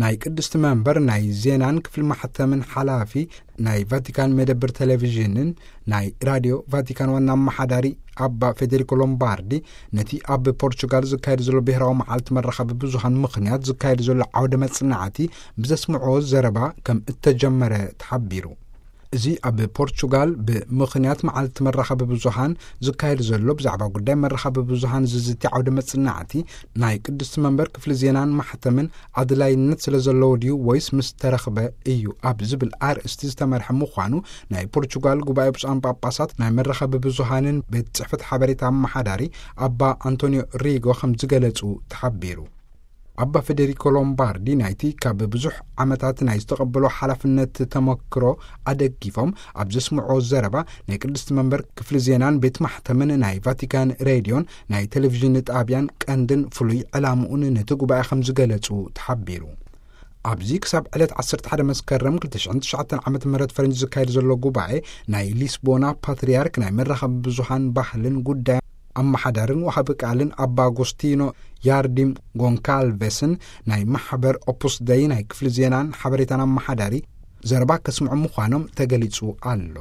ናይ ቅድስቲ መንበር ናይ ዜናን ክፍሊ ማሕተምን ሓላፊ፣ ናይ ቫቲካን መደብር ቴሌቪዥንን ናይ ራድዮ ቫቲካን ዋና ኣመሓዳሪ ኣባ ፌዴሪኮ ሎምባርዲ፣ ነቲ ኣብ ፖርቹጋል ዝካየድ ዘሎ ብሔራዊ መዓልቲ መራኸቢ ብዙሃን ምኽንያት ዝካየድ ዘሎ ዓውደ መጽናዕቲ ብዘስምዕዎ ዘረባ ከም እተጀመረ ተሓቢሩ። እዚ ኣብ ፖርቹጋል ብምኽንያት መዓልቲ መራኸቢ ብዙሃን ዝካየድ ዘሎ ብዛዕባ ጉዳይ መራኸቢ ብዙሃን ዝዝቲ ዓውደ መጽናዕቲ፣ ናይ ቅድስቲ መንበር ክፍሊ ዜናን ማሕተምን ኣድላይነት ስለ ዘለዎ ድዩ ወይስ ምስ ተረኽበ እዩ ኣብ ዝብል ኣርእስቲ ዝተመርሐ ምዃኑ ናይ ፖርቹጋል ጉባኤ ብፁዓን ጳጳሳት ናይ መራኸቢ ብዙሃንን ቤት ጽሕፈት ሓበሬታ ኣመሓዳሪ ኣባ ኣንቶኒዮ ሪጎ ከም ዝገለጹ ተሓቢሩ። ኣባ ፌዴሪኮ ሎምባርዲ ናይቲ ካብ ብዙሕ ዓመታት ናይ ዝተቐበሎ ሓላፍነት ተመክሮ ኣደጊፎም ኣብ ዘስምዖ ዘረባ፣ ናይ ቅድስቲ መንበር ክፍሊ ዜናን ቤት ማሕተምን ናይ ቫቲካን ሬድዮን ናይ ቴሌቪዥን ጣብያን ቀንድን ፍሉይ ዕላምኡን ነቲ ጉባኤ ከም ዝገለጹ ተሓቢሩ። ኣብዚ ክሳብ ዕለት ዓሰርተ ሓደ መስከረም ክልተ ሽሕን ትሽዓተን ዓመተ ምህረት ፈረንጂ ዝካየድ ዘሎ ጉባኤ፣ ናይ ሊስቦና ፓትርያርክ ናይ መራኸቢ ብዙሃን ባህልን ጉዳይ ኣመሓዳርን ወሃቢ ቃልን ኣባ ኣጎስቲኖ ያርዲም ጎንካልቬስን ናይ ማሕበር ኦፑስ ደይ ናይ ክፍሊ ዜናን ሓበሬታን ኣመሓዳሪ ዘረባ ከስምዑ ምዃኖም ተገሊጹ ኣሎ።